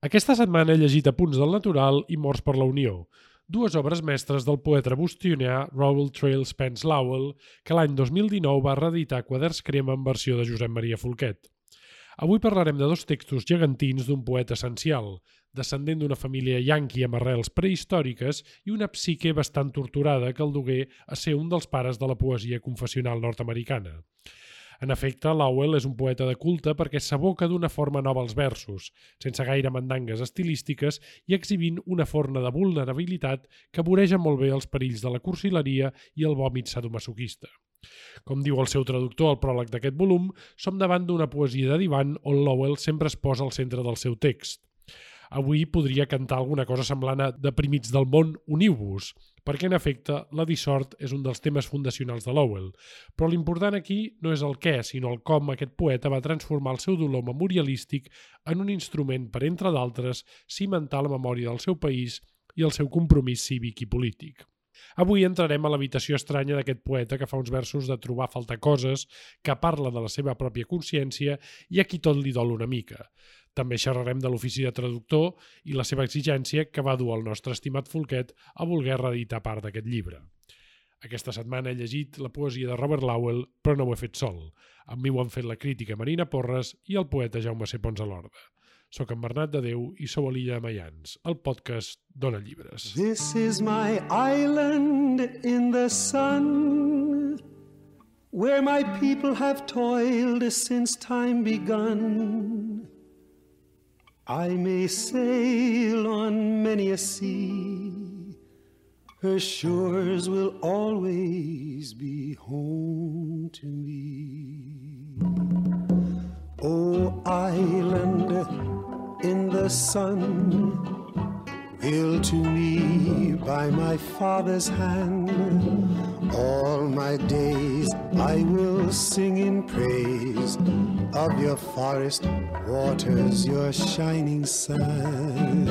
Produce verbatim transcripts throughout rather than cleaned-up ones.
Aquesta setmana he llegit Apunts del Natural i Morts per la Unió, dues obres mestres del poeta bostonià Rowell Trail Spence Lowell, que l'any dos mil dinou va reeditar Quaderns Crema en versió de Josep Maria Folquet. Avui parlarem de dos textos gegantins d'un poeta essencial, descendent d'una família yanqui amb arrels prehistòriques i una psique bastant torturada que el dugué a ser un dels pares de la poesia confessional nord-americana. En efecte, Lowell és un poeta de culte perquè s'aboca d'una forma nova als versos, sense gaire mandangues estilístiques i exhibint una forma de vulnerabilitat que voreja molt bé els perills de la cursileria i el vòmit sadomasoquista. Com diu el seu traductor al pròleg d'aquest volum, som davant d'una poesia de divan on Lowell sempre es posa al centre del seu text. Avui podria cantar alguna cosa semblant a Deprimits del món, uniu-vos, perquè en efecte la dissort és un dels temes fundacionals de Lowell, però l'important aquí no és el què, sinó el com aquest poeta va transformar el seu dolor memorialístic en un instrument per, entre d'altres, cimentar la memòria del seu país i el seu compromís cívic i polític. Avui entrarem a l'habitació estranya d'aquest poeta que fa uns versos de trobar a faltar coses, que parla de la seva pròpia consciència i a qui tot li dol una mica. També xerrarem de l'ofici de traductor i la seva exigència que va dur el nostre estimat Folquet a voler reeditar part d'aquest llibre. Aquesta setmana he llegit la poesia de Robert Lowell, però no ho he fet sol. Amb mi ho han fet la crítica Marina Porres i el poeta Jaume C. Pons Alorda. Soc en Bernat de Déu i sou a l'Illa de Mayans, el podcast Dona Llibres. This is my island in the sun, where my people have toiled since time begun. I may sail on many a sea, her shores will always be home to me. Oh, island in the sun, built to me by my father's hand, all my days I will sing in praise of your forest waters, your shining sun.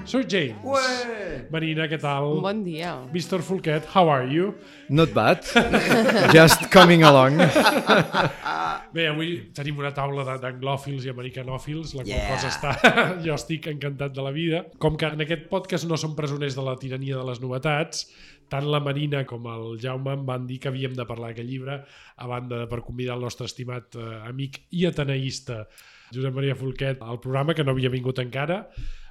Sir James. Ué! Marina, què tal? Bon dia. mister Folquet, how are you? Not bad. Just coming along. Bé, avui tenim una taula d'anglòfils i americanòfils, la qual Yeah. cosa està... Jo estic encantat de la vida. Com que en aquest podcast no som presoners de la tirania de les novetats, tant la Marina com el Jaume em van dir que havíem de parlar d'aquest llibre a banda de per convidar el nostre estimat eh, amic i ateneïsta Josep Maria Folquet al programa, que no havia vingut encara,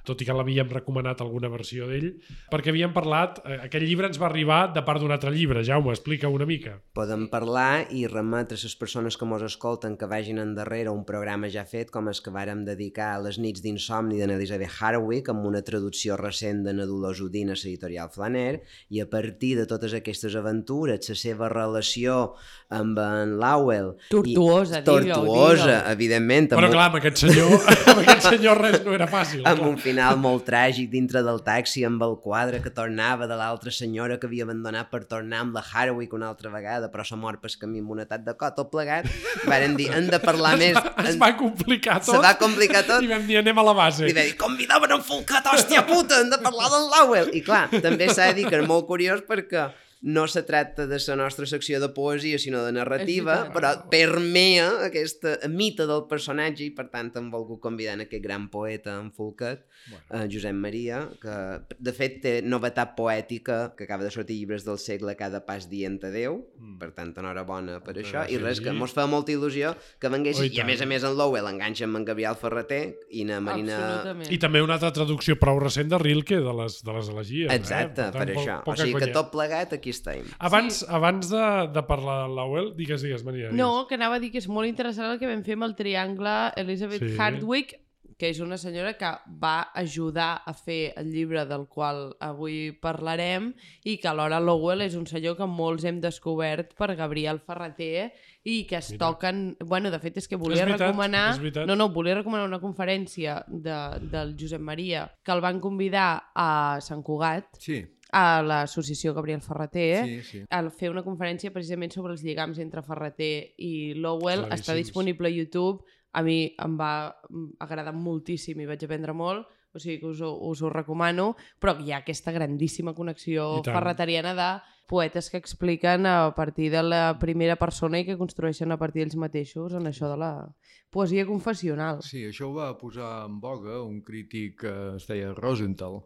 tot i que l'havíem recomanat alguna versió d'ell, perquè havíem parlat, eh, aquest llibre ens va arribar de part d'un altre llibre. Jaume, explica una mica. Podem parlar i remetre a les persones que mos escolten que vagin endarrere un programa ja fet, com el que vàrem dedicar a les nits d'insomni d'en Elizabeth Harwick, amb una traducció recent de na Dolors Udina a l'editorial Flaner, i a partir de totes aquestes aventures, la seva relació amb en Lowell... Tortuosa, i, tortuosa, digue-ho, evidentment. Però clar, amb aquest senyor, amb aquest senyor res no era fàcil. Amb clar. un final molt tràgic dintre del taxi amb el quadre que tornava de l'altra senyora que havia abandonat per tornar amb la Harwick una altra vegada, però s'ha mort pel camí amb un atac de cot, tot plegat. Varen dir, hem de parlar es més... Va, es en... va complicar tot. Se va complicar tot. I vam dir, anem a la base. I va dir, convidaven en Folquet, hòstia puta, hem de parlar del Lowell. I clar, també s'ha de dir que és molt curiós perquè no se tracta de la nostra secció de poesia, sinó de narrativa, però permea aquesta mite del personatge i, per tant, hem volgut convidar en aquest gran poeta, en Folquet, bueno. eh, Josep Maria, que, de fet, té novetat poètica, que acaba de sortir Llibres del segle cada pas dient adeu, mm. per tant, enhorabona per això, i res, que mos fa molta il·lusió que venguessis, i a més a més en Lowell enganxa amb en Gabriel Ferreter i na Marina... I també una altra traducció prou recent de Rilke, de les, de les elegies. Exacte, eh? Per, per tant, això. Po O sigui conya. que tot plegat aquí estem. Abans, sí. abans de, de parlar de Lowell, digues, digues, Maria. Digues. No, que anava a dir que és molt interessant el que vam fer amb el triangle Elizabeth Sí. Harwick, que és una senyora que va ajudar a fer el llibre del qual avui parlarem i que alhora Lowell és un senyor que molts hem descobert per Gabriel Ferreter i que es Mira. toquen... Bueno, de fet és que volia És veritat, recomanar... és veritat. No, no, volia recomanar una conferència de, del Josep Maria que el van convidar a Sant Cugat, Sí. a l'associació Gabriel Ferreter, Sí, sí. a fer una conferència precisament sobre els lligams entre Ferreter i Lowell. Claríssims. Està disponible a YouTube. A mi em va agradar moltíssim i vaig aprendre molt. o sigui que us ho, us ho recomano, però hi ha aquesta grandíssima connexió ferreteriana de poetes que expliquen a partir de la primera persona i que construeixen a partir d'ells mateixos en això de la poesia confessional. Sí, això ho va posar en boga un crític que es deia Rosenthal,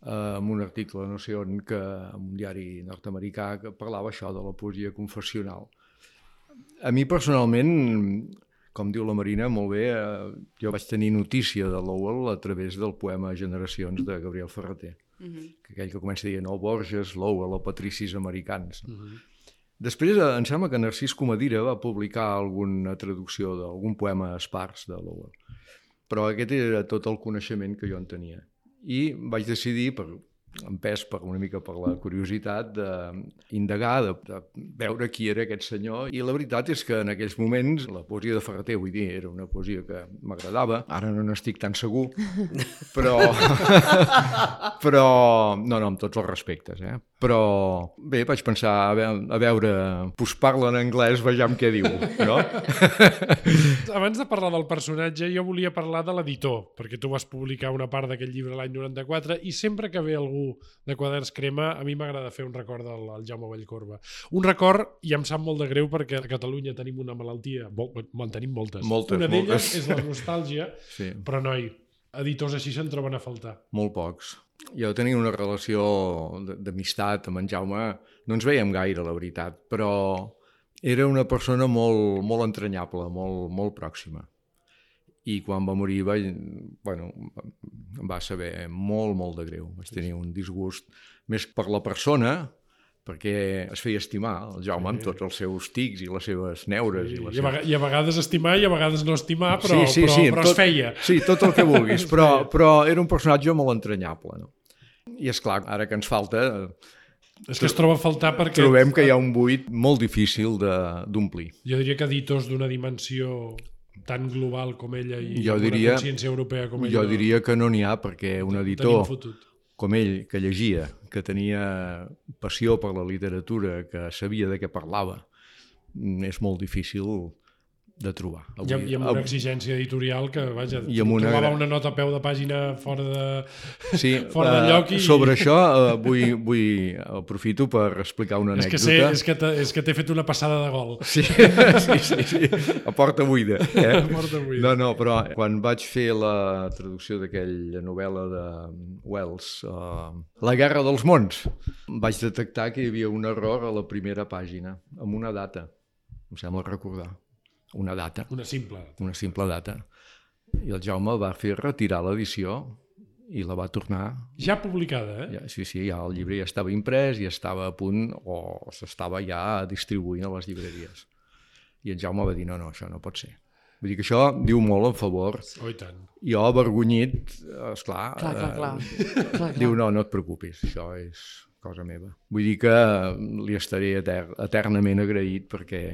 eh, en un article, no sé on, que, en un diari nord-americà, que parlava això de la poesia confessional. A mi personalment, com diu la Marina, molt bé, eh, jo vaig tenir notícia de Lowell a través del poema Generacions de Gabriel Ferrater, uh-huh. que aquell que comença dient oh, Borges, Lowell o Patricis americans. Uh-huh. Després em sembla que Narcís Comadira va publicar alguna traducció d'algun poema espars de Lowell, però aquest era tot el coneixement que jo en tenia. I vaig decidir, per empès per una mica per la curiositat d'indagar, de, de veure qui era aquest senyor, i la veritat és que en aquells moments la poesia de Ferrater, vull dir, era una poesia que m'agradava, ara no n'estic tan segur, però però, no, no, amb tots els respectes, eh? Però bé, vaig pensar, a veure, a veure pues parla en anglès, vejam què diu, no? Abans de parlar del personatge, jo volia parlar de l'editor, perquè tu vas publicar una part d'aquest llibre l'any noranta-quatre, i sempre que ve algú de Quaderns Crema, a mi m'agrada fer un record del, del Jaume Vallcorba. Un record, i em sap molt de greu, perquè a Catalunya tenim una malaltia, en tenim moltes. Moltes, una d'elles moltes. És la nostàlgia, sí. Però noi, editors així se'n troben a faltar. Molt pocs. Jo tenia una relació d'amistat amb en Jaume, no ens veiem gaire, la veritat, però era una persona molt, molt entranyable, molt, molt pròxima. I quan va morir va, bueno, em va saber molt, molt de greu. Vaig tenir un disgust més per la persona, perquè es feia estimar el Jaume, sí, amb tots els seus tics i les seves neures. Sí, i, les i, a seves... I a vegades estimar i a vegades no estimar, però, sí, sí, però, sí, però tot, es feia. Sí, tot el que vulguis, però, però era un personatge molt entranyable. No? I és clar, ara que ens falta... És que es troba a faltar perquè... Trobem que hi ha un buit molt difícil d'omplir. Jo diria que editors d'una dimensió tan global com ella i jo amb diria, una consciència europea com ella... Jo diria que no n'hi ha, perquè un editor com ell, que llegia, que tenia passió per la literatura, que sabia de què parlava, és molt difícil de trobar. Avui, I, amb, I amb una exigència editorial que, vaja, una... trobava una nota a peu de pàgina fora de, sí, fora de lloc. I... Sobre això uh, vull, vull aprofito per explicar una anècdota. És que, sé, és que, és que t'he fet una passada de gol. Sí, sí, sí, sí. A porta buida. Eh? A porta buida. No, no, però quan vaig fer la traducció d'aquella novel·la de Wells, uh, La guerra dels mons, vaig detectar que hi havia un error a la primera pàgina, amb una data, em sembla recordar. Una data. Una simple. Una simple data. I el Jaume va fer retirar l'edició i la va tornar... Ja publicada, eh? Ja, sí, sí, ja el llibre ja estava imprès i estava a punt o s'estava ja distribuint a les llibreries. I el Jaume va dir, no, no, això no pot ser. Vull dir que això diu molt en favor. Oh, i tant. Jo, avergonyit, esclar... Clar, clar, clar. Eh, clar, clar. Diu, no, no et preocupis, això és cosa meva. Vull dir que li estaré eter eternament agraït perquè...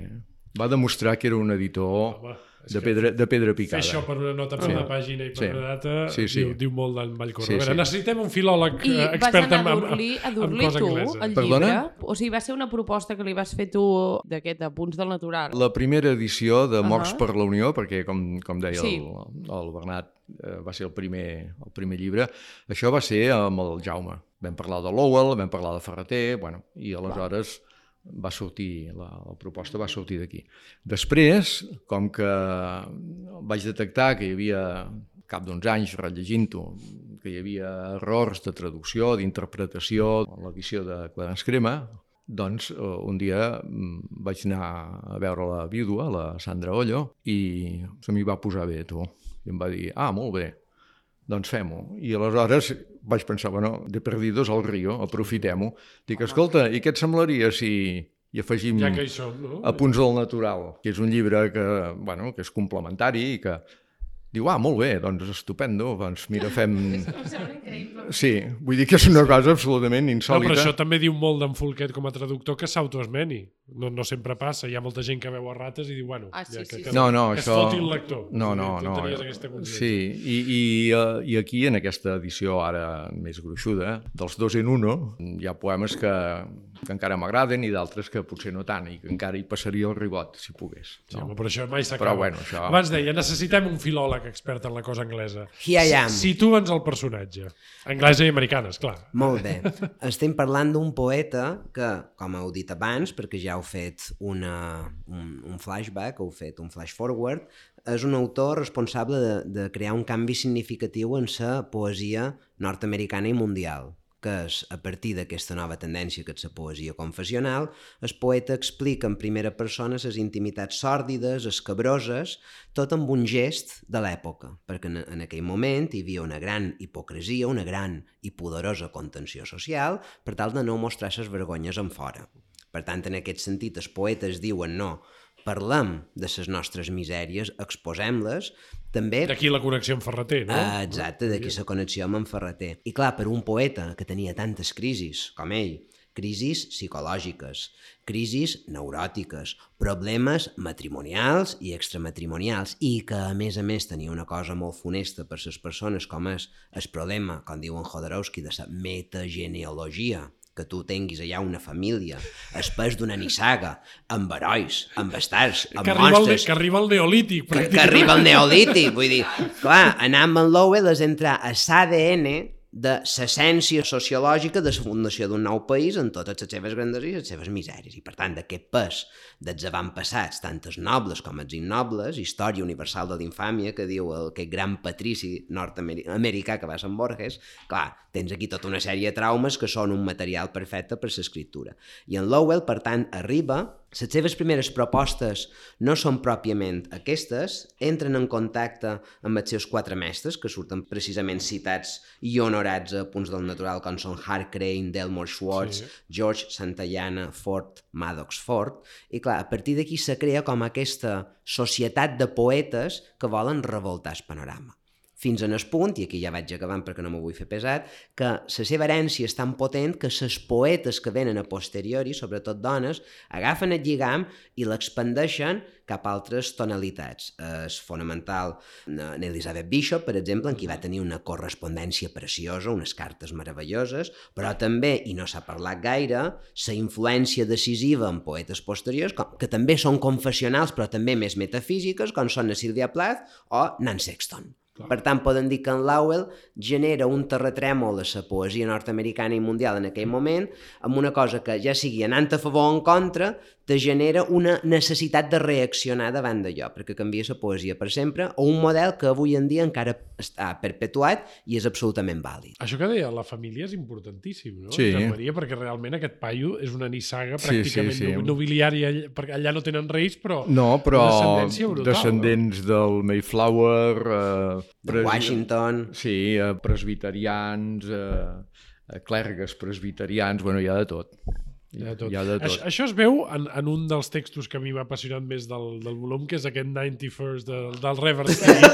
va demostrar que era un editor Home, de, pedra, de pedra picada. Fer això per una nota per sí. una pàgina i per sí. una data sí, sí. Diu, diu molt d'en Vallcorba. Sí, sí. Necessitem un filòleg I expert en, en, en, en cosa tu, anglesa. El Perdona? llibre? O sigui, va ser una proposta que li vas fer tu d'aquest Apunts del Natural. La primera edició de Morts uh -huh. per la Unió, perquè com, com deia sí. el, el Bernat, eh, va ser el primer, el primer llibre, això va ser amb el Jaume. Vam parlar de Lowell, vam parlar de Ferrater, bueno, i aleshores... va sortir, la, la proposta va sortir d'aquí. Després, com que vaig detectar que hi havia, cap d'uns anys rellegint-ho, que hi havia errors de traducció, d'interpretació en l'edició de Quaderns Crema, doncs un dia vaig anar a veure la vídua, la Sandra Ollo, i se m'hi va posar bé, tu. I em va dir, ah, molt bé, doncs fem-ho. I aleshores vaig pensar, bueno, de perdidos al río, aprofitem-ho. Dic, escolta, i què et semblaria si hi afegim ja que hi som, no? Apunts del Natural, que és un llibre que, bueno, que és complementari i que diu, ah, molt bé, doncs estupendo, doncs mira, fem... Em sembla increïble. Sí, vull dir que és una cosa absolutament insòlita. No, però això també diu molt d'en Folquet com a traductor que s'autoesmeni. No, no sempre passa, hi ha molta gent que veu a rates i diu, bueno, ah, sí, ja, que, sí, que, no, no, que això... es foti el lector. No, no, tu no. tenies aquesta consciència. Sí, i, i, uh, i aquí, en aquesta edició ara més gruixuda, dels dos en uno, hi ha poemes que, que encara m'agraden i d'altres que potser no tant, i que encara hi passaria el ribot, si pogués. Sí, No? home, però això mai s'acaba. Però bueno, això... Abans deia, necessitem un filòleg expert en la cosa anglesa. Here I am. Situa'ns el personatge. Anglesa i americana, esclar. Molt bé. Estem parlant d'un poeta que, com heu dit abans, perquè ja heu fet una, un, un flashback, heu fet un flash forward, és un autor responsable de, de crear un canvi significatiu en la poesia nord-americana i mundial, que és, a partir d'aquesta nova tendència que és la poesia confessional, el poeta explica en primera persona les intimitats sòrdides, escabroses, tot amb un gest de l'època, perquè en, en aquell moment hi havia una gran hipocresia, una gran i poderosa contenció social, per tal de no mostrar les vergonyes en fora. Per tant, en aquest sentit, els poetes diuen no, parlem de les nostres misèries, exposem-les, també... D'aquí la connexió amb Ferreter, no? Ah, exacte, d'aquí la connexió amb en Ferreter. I clar, per un poeta que tenia tantes crisis com ell, crisis psicològiques, crisis neuròtiques, problemes matrimonials i extramatrimonials, i que a més a més tenia una cosa molt funesta per les persones com és el problema, com diu en Jodorowsky, de la metagenealogia, que tu tinguis allà una família, espès d'una nissaga, amb herois, amb bastards, amb que arriba monstres... El, que arriba el neolític, que, que arriba el neolític, vull dir, clar, anar amb en Lowell és entrar a l'A D N de l'essència sociològica de la fundació d'un nou país en totes les seves granderies i les seves misèries. I per tant, d'aquest pes dels avantpassats, tant els nobles com els innobles, història universal de l'infàmia que diu el, aquest gran patrici nord-americà que va a Sant Borges, clar, tens aquí tota una sèrie de traumes que són un material perfecte per l'escriptura. I en Lowell, per tant, arriba... Les seves primeres propostes no són pròpiament aquestes, entren en contacte amb els seus quatre mestres, que surten precisament citats i honorats a punts del natural, com són Hart Crane, Delmore Schwartz, sí. George Santayana, Ford, Maddox Ford, i clar, a partir d'aquí se crea com aquesta societat de poetes que volen revoltar el panorama. Fins en el punt, i aquí ja vaig acabant perquè no m'ho vull fer pesat, que la seva herència és tan potent que les poetes que venen a posteriori, sobretot dones, agafen el lligam i l'expandeixen cap a altres tonalitats. És fonamental en Elizabeth Bishop, per exemple, en qui va tenir una correspondència preciosa, unes cartes meravelloses, però també, i no s'ha parlat gaire, la influència decisiva en poetes posteriors, que també són confessionals però també més metafísiques, com són Sylvia Plath o Nan Sexton. Per tant, podem dir que en Lowell genera un terratrèmol a la poesia nord-americana i mundial en aquell moment, amb una cosa que ja sigui anant a favor o en contra, te genera una necessitat de reaccionar davant d'allò, perquè canvia la poesia per sempre, o un model que avui en dia encara està perpetuat i és absolutament vàlid. Això que deia la família és importantíssim, no? Sí. Maria, perquè realment aquest paio és una nissaga pràcticament sí, sí, sí. nobiliària, perquè allà no tenen reis, però... No, però descendència brutal, descendents no? del Mayflower... Eh, de pres... Washington... Sí, eh, presbiterians, eh, clergues presbiterians, bueno, hi ha de tot. Hi ha de tot. Hi ha de tot. Això, això es veu en, en un dels textos que a mi m'ha apassionat més del, del volum, que és aquest noranta-first del, del Reverend Street,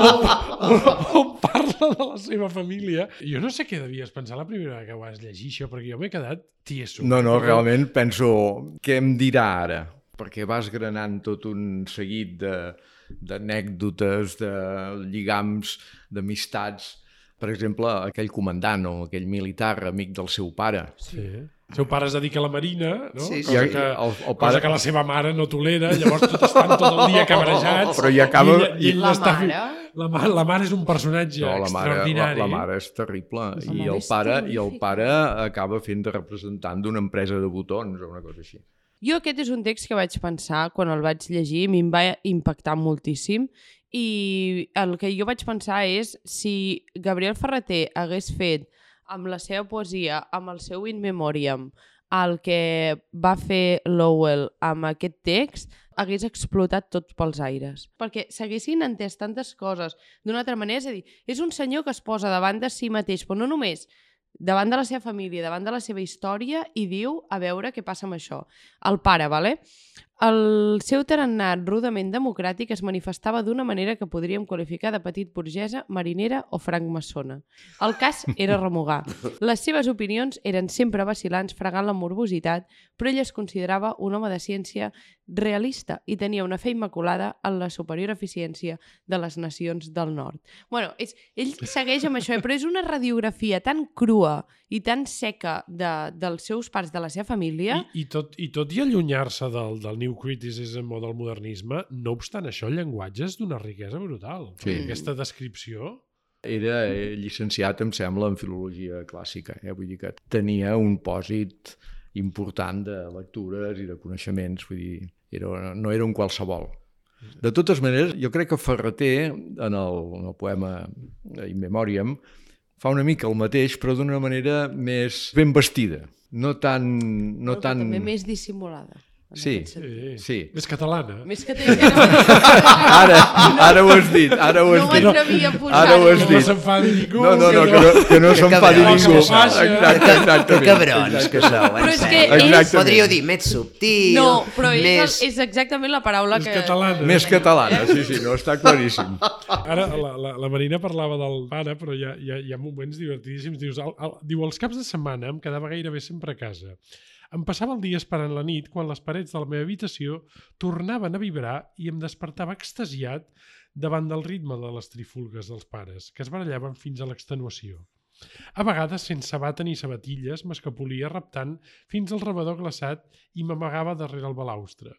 on, on, on parla de la seva família. Jo no sé què devies pensar la primera vegada que ho vas llegir, això, perquè jo m'he quedat tieso. No, no, realment penso, què em dirà ara? Perquè vas granant tot un seguit de d'anècdotes, de lligams, d'amistats. Per exemple, aquell comandant o aquell militar amic del seu pare. Sí. El seu pare es dedica a la marina, no? Sí, sí. Cosa, que, el, el pare... cosa que la seva mare no tolera, llavors tot estan tot el dia cabrejats. Però ja acaba... I ell, i ell la està... mare? La, ma la mare és un personatge no, la mare, extraordinari. La, la mare és terrible. La I mare el, és pare, terrífica. I el pare acaba fent de representant d'una empresa de botons o una cosa així. Jo aquest és un text que vaig pensar quan el vaig llegir, a mi em va impactar moltíssim, i el que jo vaig pensar és si Gabriel Ferreter hagués fet amb la seva poesia, amb el seu In Memoriam, el que va fer Lowell amb aquest text, hagués explotat tot pels aires. Perquè s'haguessin entès tantes coses d'una altra manera. És a dir, és un senyor que es posa davant de si mateix, però no només davant de la seva família, davant de la seva història, i diu, a veure què passa amb això. El pare, vale? El seu tarannà rudament democràtic es manifestava d'una manera que podríem qualificar de petit burgesa, marinera o francmaçona. El cas era remugar. Les seves opinions eren sempre vacil·lants, fregant la morbositat, però ell es considerava un home de ciència realista i tenia una fe immaculada en la superior eficiència de les nacions del nord. Bueno, és, ell segueix amb això, eh? Però és una radiografia tan crua i tan seca de, dels seus pares, de la seva família. I, i, tot, i tot i allunyar-se del, del New Criticism o del modernisme, no obstant això, el llenguatge és d'una riquesa brutal. Sí. Aquesta descripció... Era llicenciat, em sembla, en filologia clàssica. Eh? Vull dir que tenia un pòsit important de lectures i de coneixements. Vull dir, era, no era un qualsevol. De totes maneres, jo crec que Ferrater, en el, en el poema In Memoriam, fa una mica el mateix, però d'una manera més ben vestida. No tan... No però tan... també més dissimulada. Sí, Sí. sí. Més catalana. Més que tenia... Ara, ara ho has dit, ara ho has No dit. m'atrevia a posar-ho. Ara ho has Que no dit. s'enfadi ningú. No, no, no, que no, que no s'enfadi cabrons, ningú. que faixa. Exacte, exactament. Que cabrons que sou, en Però és que sèrio. és- Podríeu dir més subtil, No, però és, més... és exactament la paraula És que... catalana. Més catalana, sí, sí, no, està claríssim. Ara la, la, la Marina parlava del pare, però hi ha, hi ha, hi ha moments divertidíssims. Dius, el, el, diu, els caps de setmana em quedava gairebé sempre a casa. Em passava el dia esperant la nit quan les parets de la meva habitació tornaven a vibrar i em despertava extasiat davant del ritme de les trifulgues dels pares, que es barallaven fins a l'extenuació. A vegades, sense bata ni sabatilles, m'escapolia reptant fins al rebedor glaçat i m'amagava darrere el balaustre.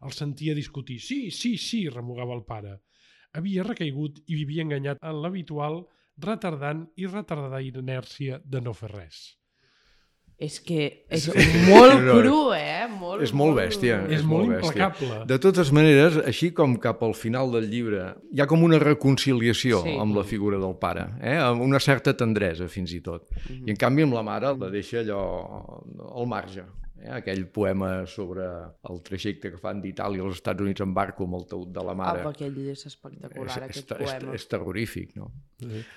El sentia discutir. Sí, sí, sí, remugava el pare. Havia recaigut i vivia enganyat en l'habitual retardant i retardada inèrcia de no fer res. És que és molt No, no, cru, eh? Molt, És molt bèstia. És, És molt molt bèstia. implacable. De totes maneres, així com cap al final del llibre, hi ha com una reconciliació Sí. amb la figura del pare, eh? Amb una certa tendresa, fins i tot. I en canvi amb la mare la deixa allò al marge. Eh? Aquell poema sobre el trajecte que fan d'Itàlia als Estats Units en barco amb el taüt de la mare. Apa, aquell és espectacular, és, aquest és, és, poema. és terrorífic, no?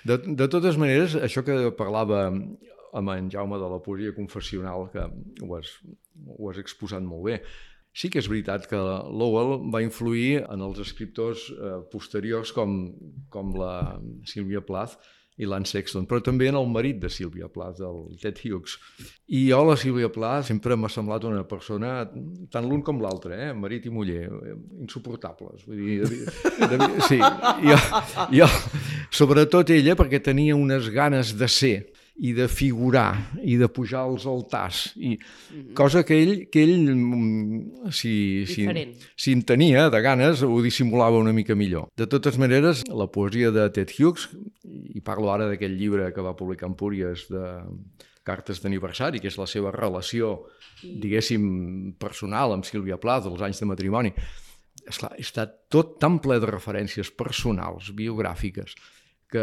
De, de totes maneres, això que parlava amb en Jaume de la poesia confessional, que ho has, ho has exposat molt bé, sí que és veritat que Lowell va influir en els escriptors eh, posteriors com, com la Sylvia Plath i l'Anne Sexton, però també en el marit de Sylvia Plath, el Ted Hughes. I jo, la Sylvia Plath, sempre m'ha semblat una persona, tant l'un com l'altre, eh? Marit i muller, insuportables. Vull dir, de, de, de, sí, jo, jo, sobretot ella, perquè tenia unes ganes de ser i de figurar i de pujar als altars, i cosa que ell, que ell si, si, si en tenia de ganes, ho dissimulava una mica millor. De totes maneres, la poesia de Ted Hughes, i parlo ara d'aquell llibre que va publicar Empúries de cartes d'aniversari, que és la seva relació, diguéssim, personal amb Sylvia Plath, dels anys de matrimoni, esclar, està tot tan ple de referències personals, biogràfiques, que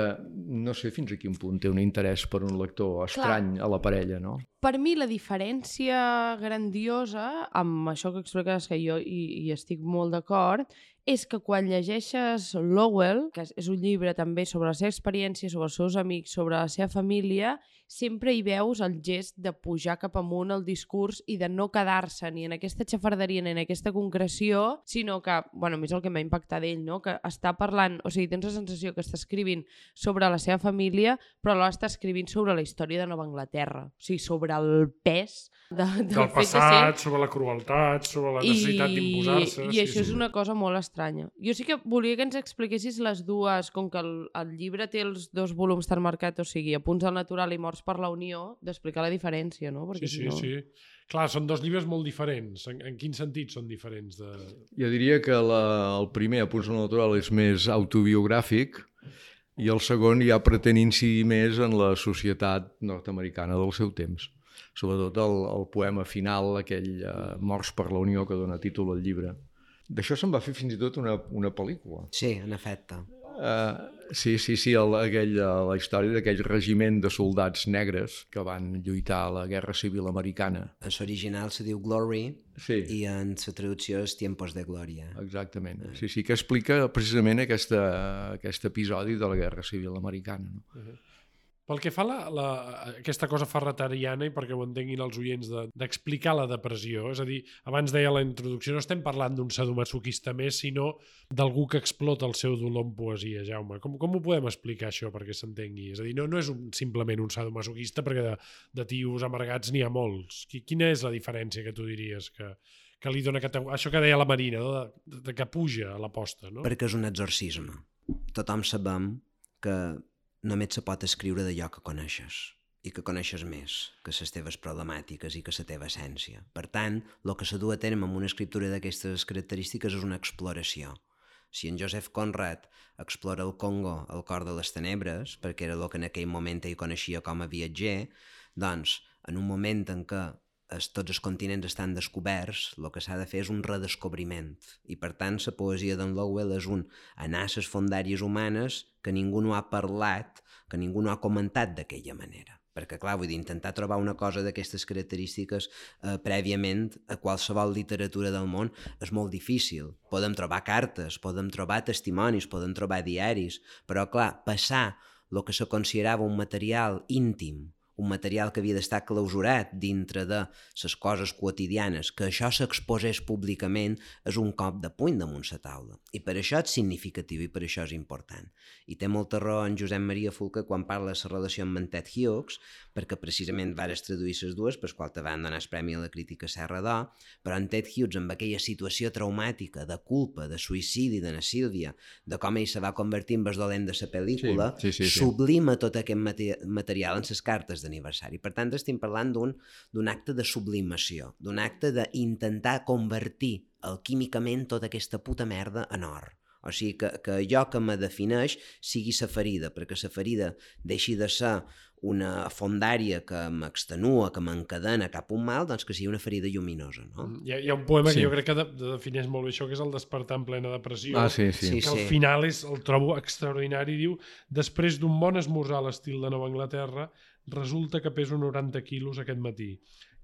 no sé fins a quin punt té un interès per un lector estrany Clar. A la parella, no? Per mi la diferència grandiosa amb això que expliques, que jo hi, hi estic molt d'acord, és que quan llegeixes Lowell, que és un llibre també sobre la seva experiència, sobre els seus amics, sobre la seva família, sempre hi veus el gest de pujar cap amunt el discurs i de no quedar-se ni en aquesta xafarderia ni en aquesta concreció, sinó que, bueno, a mi és el que m'ha impactat d'ell, no? Que està parlant, o sigui, tens la sensació que està escrivint sobre la seva família, però alhora està escrivint sobre la història de Nova Anglaterra, o sigui, sobre el pes de, del, del passat, sobre la crueltat, sobre la necessitat d'imposar-se. I, i això sí, és sí. una cosa molt estranya. Jo sí que volia que ens expliquessis les dues, com que el, el llibre té els dos volums tan marcats, o sigui, Apunts al natural i Morts per la Unió, d'explicar la diferència, no? Perquè sí, sí, no... sí. Clar, són dos llibres molt diferents. En, en quin sentit són diferents? De... Jo diria que la, el primer, Apunts al natural, és més autobiogràfic, i el segon ja pretén incidir més en la societat nord-americana del seu temps. Sobretot el, el poema final, aquell uh, Morts per la Unió, que dona títol al llibre. D'això se'n va fer fins i tot una, una pel·lícula. Sí, en efecte. Uh, sí, sí, sí, el, aquell, la història d'aquell regiment de soldats negres que van lluitar a la Guerra Civil Americana. En l'original se diu Glory, sí. I en la traducció és Tiempos de Glòria. Exactament, sí, sí, que explica precisament aquesta, aquest episodi de la Guerra Civil Americana. No? Uh-huh. Pel que fa a la, la, aquesta cosa ferretariana, i perquè ho entenguin els oients, d'explicar de, la depressió, és a dir, abans deia la introducció, no estem parlant d'un sadomasoquista més, sinó d'algú que explota el seu dolor en poesia, Jaume. Com, com ho podem explicar, això, perquè s'entengui? És a dir, no, no és un, simplement un sadomasoquista, perquè de, de tios amargats n'hi ha molts. Quina és la diferència que tu diries que, que li dona categoria? Això que deia la Marina, no? de, de que puja a l'aposta, no? Perquè és un exorcisme. Tothom sabem que només se pot escriure d'allò que coneixes i que coneixes més que les teves problemàtiques i que la teva essència. Per tant, el que se du a terme amb una escriptura d'aquestes característiques és una exploració. Si en Joseph Conrad explora el Congo, el cor de les tenebres, perquè era el que en aquell moment ell coneixia com a viatger, doncs, en un moment en què es, tots els continents estan descoberts, el que s'ha de fer és un redescobriment. I per tant, la poesia d'en Lowell és un anar a les fondàries humanes que ningú no ha parlat, que ningú no ha comentat d'aquella manera. Perquè, clar, vull dir, intentar trobar una cosa d'aquestes característiques eh, prèviament a qualsevol literatura del món és molt difícil. Podem trobar cartes, podem trobar testimonis, podem trobar diaris, però, clar, passar el que se considerava un material íntim, un material que havia d'estar clausurat dintre de les coses quotidianes, que això s'exposés públicament és un cop de puny damunt la taula. I per això és significatiu i per això és important. I té molta raó en Josep Maria Fulca quan parla de la relació amb en Ted Hughes, perquè precisament vares traduir les dues, per qual te van donar el Premi a la Crítica Serra d'Or, però en Ted Hughes, amb aquella situació traumàtica, de culpa, de suïcidi de na Sílvia, de com ell se va convertir en el dolent de la pel·lícula, sí, sí, sí, sí. sublima tot aquest material en les cartes d'aniversari. Per tant, estem parlant d'un d'un acte de sublimació, d'un acte d'intentar convertir alquímicament tota aquesta puta merda en or. O sigui, que, que allò que me defineix sigui la ferida, perquè la ferida deixi de ser una fondària que m'extenua, que m'encadena cap a un mal, doncs que sigui una ferida lluminosa, no? Hi ha, hi ha un poema Sí. que jo crec que de, de defineix molt bé això, que és el despertar en plena depressió. Ah, sí, sí. Sí, Que al sí. final és, el trobo extraordinari, diu, després d'un bon esmorzar a l'estil de Nova Anglaterra, resulta que peso noranta quilos aquest matí.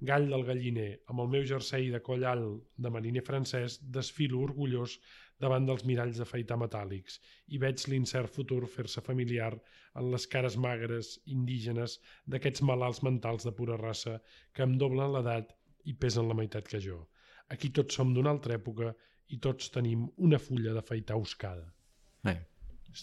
Gall del galliner, amb el meu jersei de coll alt de mariner francès, desfilo orgullós davant dels miralls d'afaitar metàl·lics i veig l'incert futur fer-se familiar en les cares magres, indígenes, d'aquests malalts mentals de pura raça que em doblen l'edat i pesen la meitat que jo. Aquí tots som d'una altra època i tots tenim una fulla d'afaitar oscada. Eh.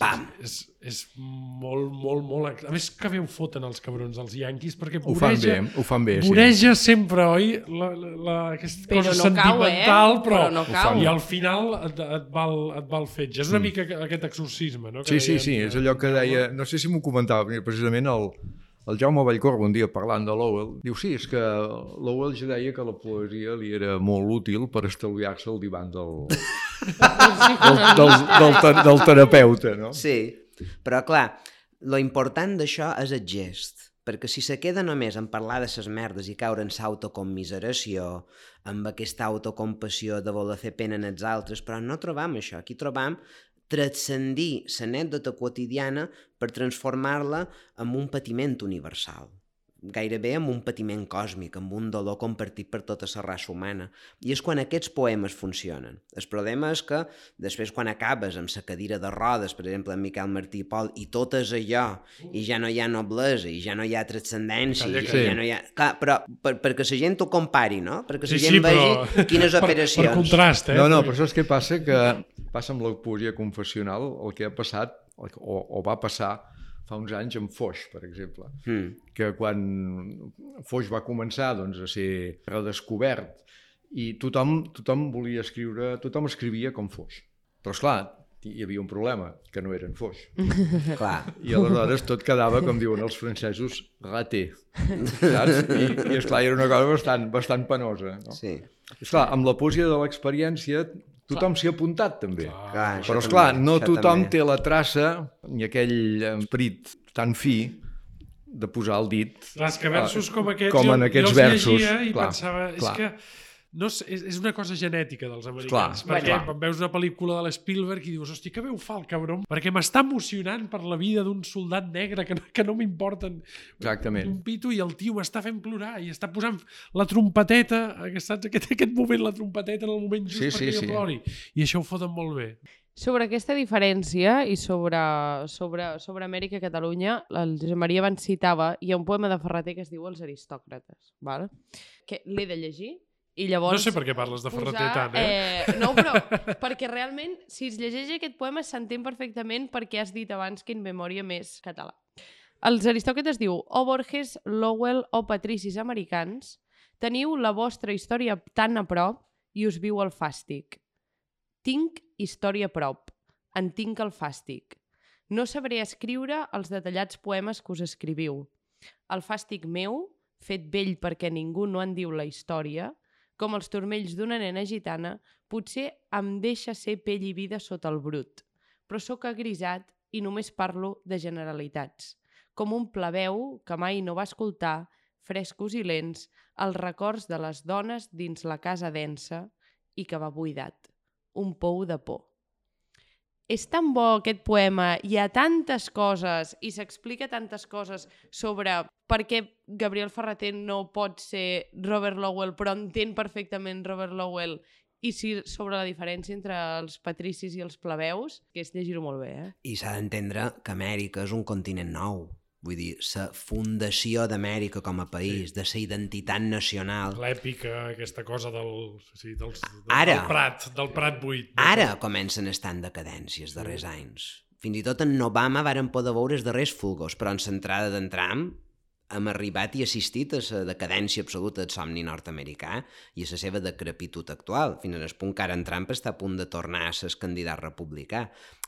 Pam! És, és molt, molt, molt... A més que bé ho foten els cabrons dels Yankees, perquè Ho fan voreja, bé, ho fan bé, sí. voreja sempre, oi? La, la, la, aquesta Però cosa no cau, eh? sentimental, però, Però no Ho cau. i al final et, et, va el, et va el fetge. És una Mm. mica aquest exorcisme, no? Sí, sí, sí, és allò que deia, no sé si m'ho comentava, precisament el, el Jaume Vallcorba un dia parlant de Lowell, diu sí, és que Lowell ja deia que la poesia li era molt útil per estalviar-se el divan del, del, del, del, ter- del terapeuta, no? Sí, però clar, lo important d'això és el gest, perquè si se queda només en parlar de ses merdes i caure en s'autocommiseració, amb aquesta autocompassió de voler fer pena en els altres, però no trobam això, aquí trobam transcendir l'anècdota quotidiana per transformar-la en un patiment universal, gairebé amb un patiment còsmic, amb un dolor compartit per tota la raça humana. I és quan aquests poemes funcionen. El problema és que després quan acabes amb la cadira de rodes, per exemple, en Miquel Martí i Pol, i tot és allò, i ja no hi ha noblesa, i ja no hi ha transcendència, Calla, i sí. ja no hi ha... Clar, però per, perquè la gent ho compari, no? Perquè la Sí, gent sí, vegi però... quines per, operacions... per contrast, eh? No, no, però saps què passa? Que passa amb la poesia confessional, el que ha passat, o, o va passar fa uns anys amb Foix, per exemple, Mm. que quan Foix va començar doncs, a ser redescobert i tothom, tothom volia escriure, tothom escrivia com Foix. Però, esclar, hi havia un problema, que no eren Foix. Clar. I aleshores tot quedava, com diuen els francesos, raté. Saps? I, i esclar, era una cosa bastant, bastant penosa. No? Sí. Esclar, amb la poesia de l'experiència tothom s'hi ha apuntat també. Clar, això Però esclar, també, no això tothom també. té la traça ni aquell esperit tan fi de posar el dit Clar, és que versos com aquests, com jo, en aquests jo els versos. llegia i Clar, pensava, és clar. que no és, és una cosa genètica dels americans. Clar, perquè clar. quan veus una pel·lícula de l'Spielberg i dius, hosti, que veu fa el cabron? Perquè m'està emocionant per la vida d'un soldat negre que no, que no m'importen Exactament. un pito i el tio m'està fent plorar i està posant la trompeteta, saps? Aquest, aquest moment, la trompeteta en el moment just Sí, perquè sí, jo sí. plori. I això ho foten molt bé. Sobre aquesta diferència i sobre, sobre, sobre Amèrica i Catalunya, el Josep Maria abans citava, hi ha un poema de Ferrater que es diu Els aristòcrates, val? Que l'he de llegir i llavors... No sé per què parles de Ferrater tant, eh? eh? No, però perquè realment, si es llegeix aquest poema, s'entén perfectament perquè has dit abans que in memòria més català. Els aristòcrates diu, o Borges, Lowell o patricis americans, teniu la vostra història tan a prop i us viu el fàstic. Tinc història a prop, en tinc el fàstic. No sabré escriure els detallats poemes que us escriviu. El fàstic meu, fet vell perquè ningú no en diu la història, com els turmells d'una nena gitana, potser em deixa ser pell i vida sota el brut. Però sóc agrisat i només parlo de generalitats. Com un plebeu que mai no va escoltar, frescos i lents, els records de les dones dins la casa densa i que va buidat. Un pou de por. És tan bo aquest poema, hi ha tantes coses i s'explica tantes coses sobre per què Gabriel Ferrater no pot ser Robert Lowell, però entén perfectament Robert Lowell, i si sobre la diferència entre els patricis i els plebeus, que és llegir-ho molt bé, eh? I s'ha d'entendre que Amèrica és un continent nou. Vull dir, la fundació d'Amèrica com a país, sí. de la identitat nacional... L'èpica, aquesta cosa del, sí, dels, del, Ara, del Prat, del Prat buit. Ara comencen a estar en decadència els darrers sí. anys. Fins i tot en Obama varen poder veure els darrers fulgos, però en l'entrada d'en Trump hem arribat i assistit a la decadència absoluta del somni nord-americà i a la seva decrepitud actual, fins al punt que ara en Trump està a punt de tornar a ser candidat republicà.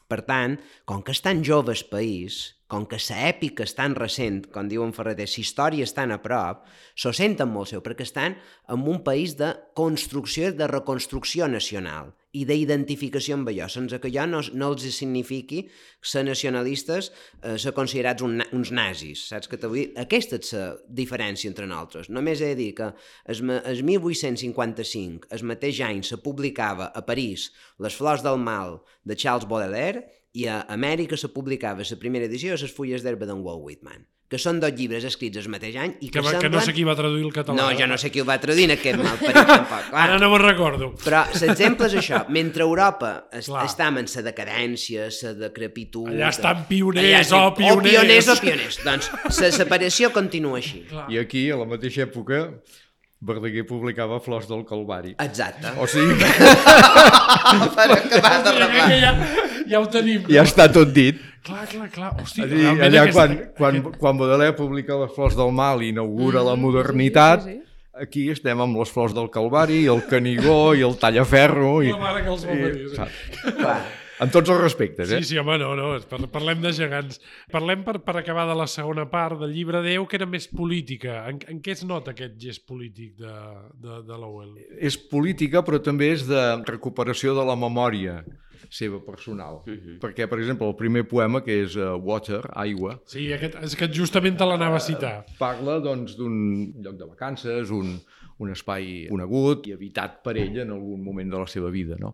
Per tant, com que és tan jove el país, com que l'èpica és tan recent, com diuen Ferrater, la història és tan a prop, s'ho senten molt seu, perquè estan en un país de construcció i de reconstrucció nacional i d'identificació amb allò, sense que allò no, no els signifiqui ser nacionalistes, eh, ser considerats un, uns nazis, saps que t'ho vull dir? Aquesta és la diferència entre nosaltres. Només he de dir que el, el mil vuit-cents cinquanta-cinc, el mateix any, se publicava a París Les flors del mal de Charles Baudelaire i a Amèrica se publicava la primera edició de Les fulles d'herba d'en Walt Whitman, que són dos llibres escrits el mateix any i que, que, va, semblen... que no sé qui va traduir el català. No, jo no sé qui el va traduir en aquest mal parit tampoc. Clar. Ara no me'n recordo. Però l'exemple és això. Mentre Europa es, està en la decadència, la decrepitud... Allà estan pioners, allà estan, oh, pioners. O pioners o pioners. Doncs la separació continua així. Clar. I aquí, a la mateixa època, Verdaguer publicava Flors del Calvari. Exacte. O sigui que... Per acabar de reblar. Ja, ja ho tenim. Ja està tot dit. Clar, clar, clar. Hosti, Dir, allà aquesta... quan, quan, quan Baudelaire publica Les flors del mal i inaugura mm, la modernitat, sí, sí, sí. Aquí estem amb Les flors del Calvari, el Canigó i el Tallaferro. I, la mare que els va parir. Sí. Clar. En tots els respectes, eh? Sí, sí, home, no, no, parlem de gegants. Parlem per, per acabar de la segona part del llibre Déu, que era més política. En, en què es nota aquest gest polític de, de, de Lowell? És política, però també és de recuperació de la memòria seva personal. Uh-huh. Perquè, per exemple, el primer poema, que és uh, Water, Aigua... Sí, aquest, és que justament te l'anava a citar. Uh, parla, doncs, d'un lloc de vacances, un, un espai conegut i habitat per ell en algun moment de la seva vida, no?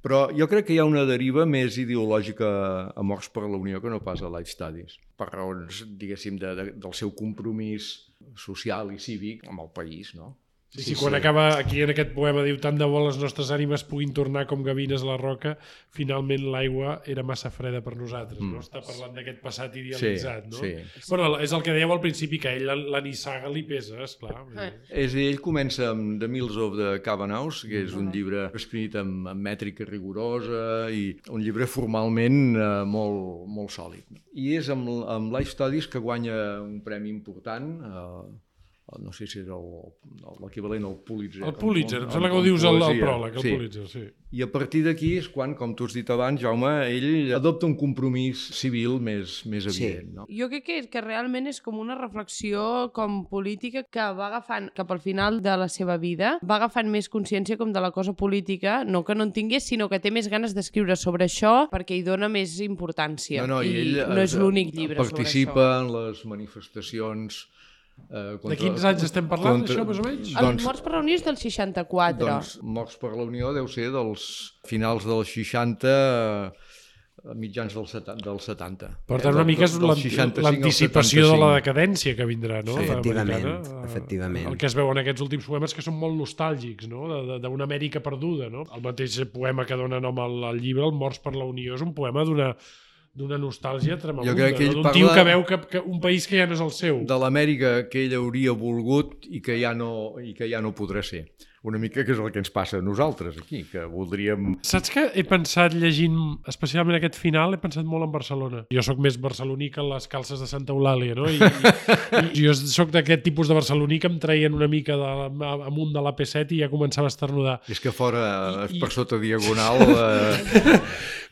Però jo crec que hi ha una deriva més ideològica a Morts per la Unió que no pas a Life Studies, per raons, diguéssim, de, de, del seu compromís social i cívic amb el país, no? Sí, sí, quan sí. acaba aquí en aquest poema diu tant de bo les nostres ànimes puguin tornar com gavines a la roca, finalment l'aigua era massa freda per nosaltres, mm. no? Està parlant d'aquest passat idealitzat, sí, no? Sí. Bueno, és el que dèieu al principi, que a ell la, la nissaga li pesa, esclar. Eh. És, ell comença amb The Mills of the Cavanaghs, que és un llibre escrit amb, amb mètrica rigorosa i un llibre formalment eh, molt, molt sòlid. I és amb, amb Life Studies que guanya un premi important, eh, no sé si és l'equivalent al Pulitzer. El Pulitzer, em sembla que ho dius al pròleg, el sí. Pulitzer, sí. I a partir d'aquí és quan, com tu has dit abans, Jaume, ell adopta un compromís civil més, més evident. Sí. No? Jo crec que, que realment és com una reflexió com política que va agafant cap al final de la seva vida, va agafant més consciència com de la cosa política, no que no en tingués, sinó que té més ganes d'escriure sobre això perquè hi dona més importància. No, no, i, I ell no és l'únic llibre sobre això. Participa en les manifestacions Uh, contra, de quins anys estem parlant, contra, això, més o menys? El doncs, Morts per la Unió és del seixanta-quatre. Doncs Morts per la Unió deu ser dels finals dels seixanta, mitjans dels setanta. Per tant, una mica és l'anticipació de la decadència que vindrà, no? Sí, efectivament, efectivament. El que es veu en aquests últims poemes que són molt nostàlgics, no? D'una Amèrica perduda, no? El mateix poema que dona nom al llibre, el Morts per la Unió, és un poema d'una d'una nostàlgia tremenda, no? D'un tio que veu que, que un país que ja no és el seu. De l'Amèrica que ell hauria volgut i que ja no, i que ja no podrà ser. Una mica que és el que ens passa a nosaltres aquí, que voldríem... Saps que he pensat llegint, especialment aquest final, he pensat molt en Barcelona. Jo sóc més barceloní que les calces de Santa Eulàlia, no? I, i, i jo sóc d'aquest tipus de barceloní que em traien una mica de, amunt de l'A P set i ja començava a esternudar. És que fora, I, per sota diagonal, eh,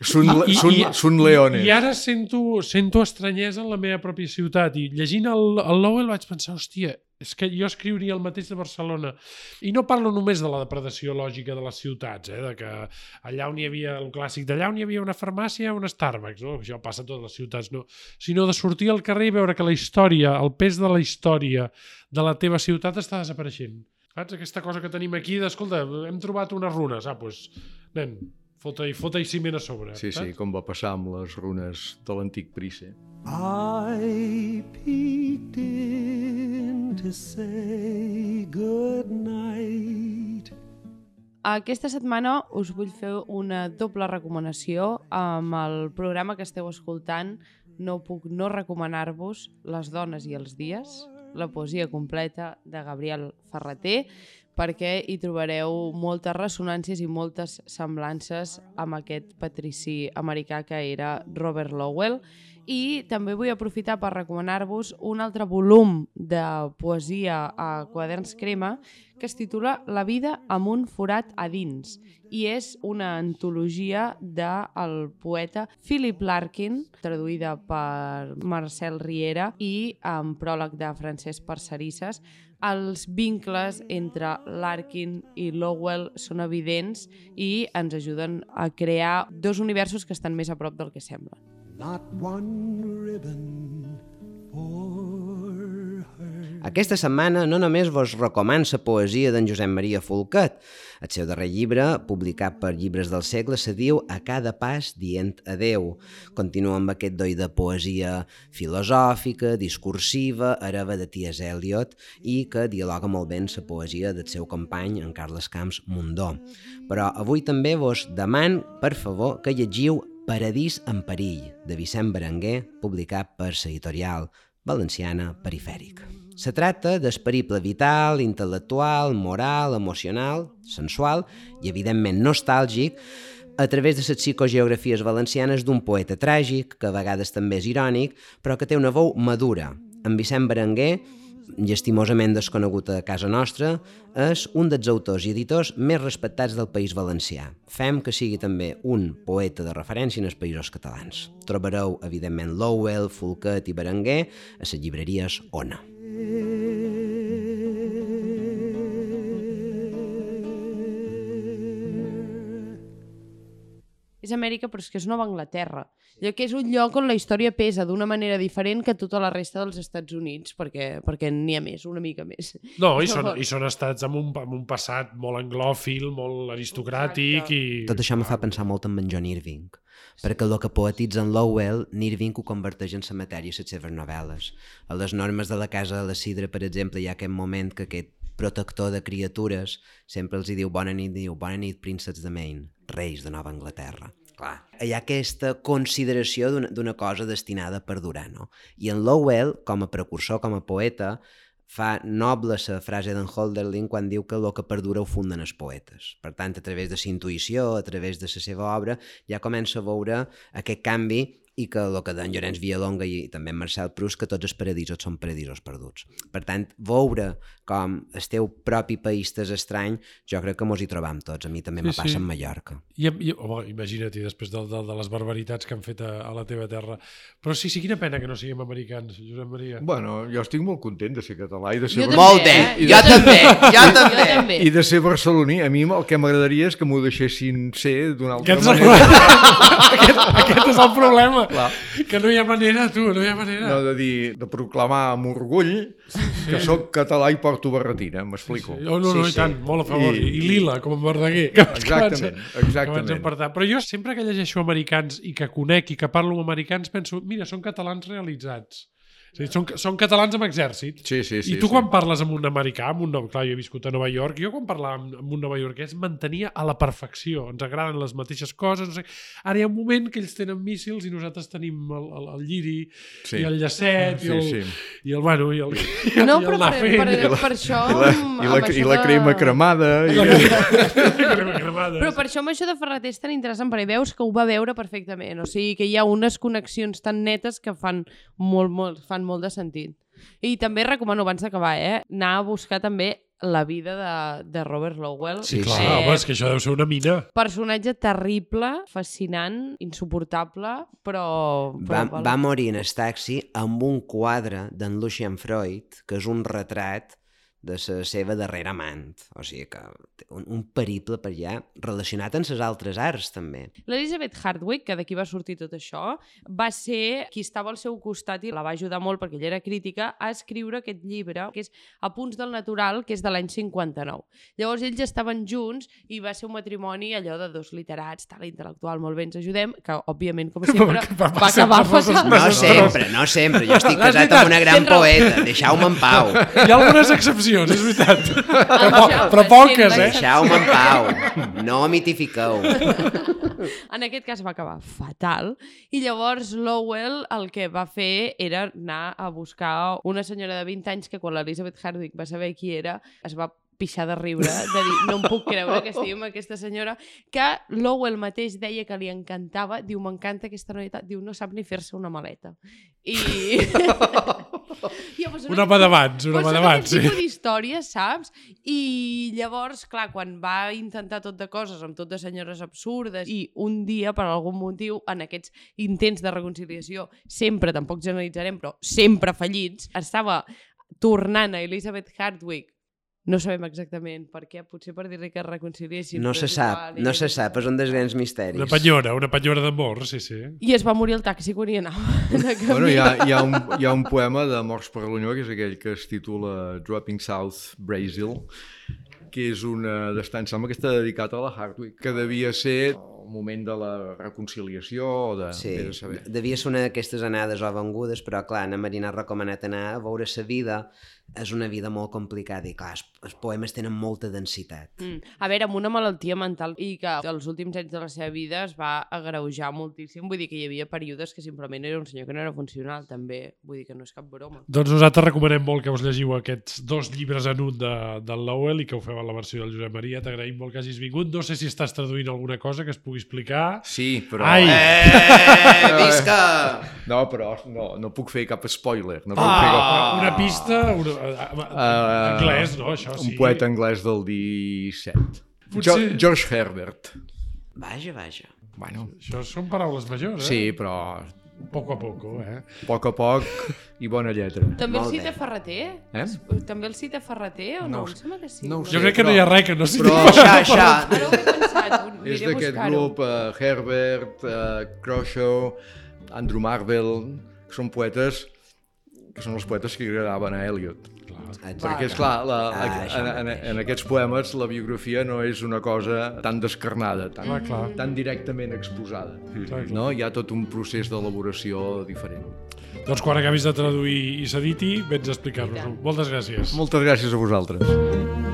són, I, són, i, són leones. I ara sento, sento estranyesa en la meva pròpia ciutat i llegint el, el Lowell vaig pensar, hòstia, és que jo escriuria el mateix de Barcelona. I no parlo només de la depredació lògica de les ciutats, eh? De que allà on hi havia, el clàssic d'allà on hi havia una farmàcia, un Starbucks, no? Això passa a totes les ciutats, no? Sinó de sortir al carrer i veure que la història, el pes de la història de la teva ciutat està desapareixent. Saps? Aquesta cosa que tenim aquí d'escolta, hem trobat unes runes, ah, doncs, nen, fota-hi fota ciment a sobre. Sí, saps? Sí, com va passar amb les runes de l'antic Price. I peeked in to say good night. Aquesta setmana us vull fer una doble recomanació amb el programa que esteu escoltant. No puc no recomanar-vos Les dones i els dies, la poesia completa de Gabriel Ferrater, perquè hi trobareu moltes ressonàncies i moltes semblances amb aquest patrici americà que era Robert Lowell. I també vull aprofitar per recomanar-vos un altre volum de poesia a Quaderns Crema que es titula La vida amb un forat a dins i és una antologia del poeta Philip Larkin, traduïda per Marcel Riera i amb pròleg de Francesc Parcerisses. Els vincles entre Larkin i Lowell són evidents i ens ajuden a crear dos universos que estan més a prop del que semblen. Not one ribbon for her. Aquesta setmana no només vos recomano la poesia d'en Josep Maria Folquet. El seu darrer llibre, publicat per Llibres del Segle, se diu A cada pas dient adeu. Continua amb aquest doi de poesia filosòfica, discursiva, hereva de T S Eliot i que dialoga molt bé amb la poesia del seu company, en Carles Camps Mundó. Però avui també vos deman, per favor, que llegiu Paradís en perill, de Vicent Berenguer, publicat per l'editorial valenciana Perifèric. Se tracta del periple vital, intel·lectual, moral, emocional, sensual i, evidentment, nostàlgic a través de les psicogeografies valencianes d'un poeta tràgic, que a vegades també és irònic, però que té una veu madura. En Vicent Berenguer, llastimosament desconegut a casa nostra, és un dels autors i editors més respectats del País Valencià. Fem que sigui també un poeta de referència en els països catalans. Trobareu, evidentment, Lowell, Folquet i Berenguer a les llibreries Ona. És Amèrica, però és que és Nova Anglaterra. Allò que és un lloc on la història pesa d'una manera diferent que tota la resta dels Estats Units, perquè, perquè n'hi ha més, una mica més. No, i són, i són estats amb un, amb un passat molt anglòfil, molt aristocràtic. I... Tot això me fa pensar molt en John Irving, perquè el que poetitza en Lowell, Irving ho converteix en la matèria a les seves novel·les. A les normes de la Casa de la Sidra, per exemple, hi ha aquest moment que aquest protector de criatures sempre els hi diu bona nit, diu bona nit, prínceps de Maine, reis de Nova Anglaterra. Clar, hi ha aquesta consideració d'una cosa destinada a perdurar, no? I en Lowell, com a precursor, com a poeta, fa noble la frase d'en Hölderlin quan diu que el que perdura ho funden els poetes. Per tant, a través de la intuïció, a través de la seva obra, ja comença a veure aquest canvi i que el que d'en Llorenç Villalonga i també en Marcel Proust, que tots els paradisos són paradisos perduts. Per tant, veure com el teu propi país t'és estrany, jo crec que mos hi trobam tots. A mi també sí, me passa sí. en Mallorca. I, i, home, imagina't, després de, de, de les barbaritats que han fet a, a la teva terra. Però sí, sí, quina pena que no siguem americans, Josep Maria. Bueno, jo estic molt content de ser català i de ser... Jo molt bé, eh? jo, també, jo també, jo també. I de ser barceloní. A mi el que m'agradaria és que m'ho deixessin ser d'una altra aquest manera. aquest, aquest és el problema. Clar. Que no hi ha manera, tu, no hi ha manera. No, de dir, de proclamar amb orgull que sóc català i porto barretina, m'explico. Sí, sí. Oh, no, no, Sí, i tant, sí. molt a favor. I, I- I lila, com en Verdaguer. Que, Exactament, que exactament. vaig empartar. Però jo sempre que llegeixo americans i que conec i que parlo amb americans penso, mira, són catalans realitzats. És a dir, són, són catalans amb exèrcit. Sí, sí, sí. I tu sí. quan parles amb un americà, amb un, no- clar, jo he viscut a Nova York, jo quan parlava amb, amb un novaiorquès mantenia a la perfecció, ens agraden les mateixes coses, no sé. Ara hi ha un moment que ells tenen míssils i nosaltres tenim el, el, el lliri Sí. i el llacet Sí, i, el, sí. i el, bueno, i el, i el, No, i el però anar per, fent. per, I la- per això... I la, amb- i la, amb i això la crema de- cremada. I... crema cremada. Però per això amb això de Ferreter és tan interessant, perquè veus que ho va veure perfectament. O sigui, que hi ha unes connexions tan netes que fan molt, molt, fan molt de sentit. I també recomano, abans d'acabar, eh, anar a buscar també la vida de, de Robert Lowell. Sí, Clar, sí. home, és que això deu ser una mina. Personatge terrible, fascinant, insuportable, però... però Va, va morir en el taxi amb un quadre d'en Lucian Freud, que és un retrat de la seva darrera amant. O sigui que té un, un periple per allà relacionat amb les altres arts, també. L'Elizabeth Hardwick, que d'aquí va sortir tot això, va ser qui estava al seu costat i la va ajudar molt perquè ella era crítica a escriure aquest llibre, que és Apunts del natural, que és de l'any cinquanta-nou. Llavors ells estaven junts i va ser un matrimoni allò de dos literats, tal, intel·lectual, molt bé, ens ajudem, que òbviament, com sempre, Va va sempre acabar coses fatal. No Desastrós. sempre, no sempre. Jo estic L'has casat editat. amb una gran Tens raó. poeta. Deixeu-me en pau. Hi ha algunes excepcions, és veritat. Però, po Això, però poques, sempre eh? Deixeu-me en pau. No mitifiqueu. En aquest cas va acabar fatal i llavors Lowell el que va fer era anar a buscar una senyora de vint anys que quan l'Elizabeth Hardwick va saber qui era es va pixar de riure, de dir, no em puc creure que estigui amb aquesta senyora, que Lowell mateix deia que li encantava, diu, m'encanta aquesta noieta, diu, no sap ni fer-se una maleta. I... I llavors, Un home d'abans, un home d'abans, sí. Aquest tipus d'històries, saps? I llavors, clar, quan va intentar tot de coses, amb tot de senyores absurdes, i un dia, per algun motiu, en aquests intents de reconciliació, sempre, tampoc generalitzarem, però sempre fallits, estava tornant a Elizabeth Hardwick. No sabem exactament per què, potser per dir-li que es reconciliessin. No però se és sap, igual, no i- se sap, és un dels grans misteris. Una penyora, una penyora d'amor, sí, sí. I es va morir al taxi quan hi anava. De Bueno, hi ha, camí. hi, ha un, hi ha un poema de Morts per l'Unió, que és aquell que es titula Dropping South Brazil, que és una d'estar, em sembla que està dedicat a la Hardwick, que devia ser el moment de la reconciliació o de, Sí, de saber. devia ser una d'aquestes anades o vengudes, però clar, na Marina ha recomanat anar a veure sa vida. És una vida molt complicada i clar, els, els poemes tenen molta densitat. Mm. A veure, amb una malaltia mental i que els últims anys de la seva vida es va agreujar moltíssim, vull dir que hi havia períodes que simplement era un senyor que no era funcional, també, vull dir que no és cap broma. Doncs nosaltres recomanem molt que us llegiu aquests dos llibres en un de, del Lowell i que ho feu a la versió del Josep Maria. T'agraïm molt que hagis vingut. No sé si estàs traduint alguna cosa que es pugui explicar. Sí, però... Ai! Eh, visca! No, però no, no puc fer cap spoiler. No puc fer cap... Ah, una pista... Una, uh, anglès, no? Això sí. Un poeta anglès del disset. Potser- Jo, George Herbert. Vaja, vaja. Bueno, Això són paraules majors, eh? sí, però Poco a poco, eh? a poc a poc i bona lletra. També el Molt cita bé. Ferreter? Eh? També el cita Ferreter o no? No ho Em sembla que sí. no ho Jo sé, crec que no però- hi ha res que no sigui però- Xa, xa. Ara ho he pensat, ho- És aniré a d'aquest buscar-ho. grup uh, Herbert, uh, Croshaw, Andrew Marvell, que són poetes que són els poetes que agradaven a Eliot. Perquè, esclar, la, Ah, en, això en, mateix. en aquests poemes la biografia no és una cosa tan descarnada, tan, Clar, clar. tan directament exposada. Clar, clar. No? Hi ha tot un procés d'elaboració diferent. Doncs quan acabis de traduir i s'editi, vens a explicar-nos-ho. I tant. Moltes gràcies. Moltes gràcies a vosaltres.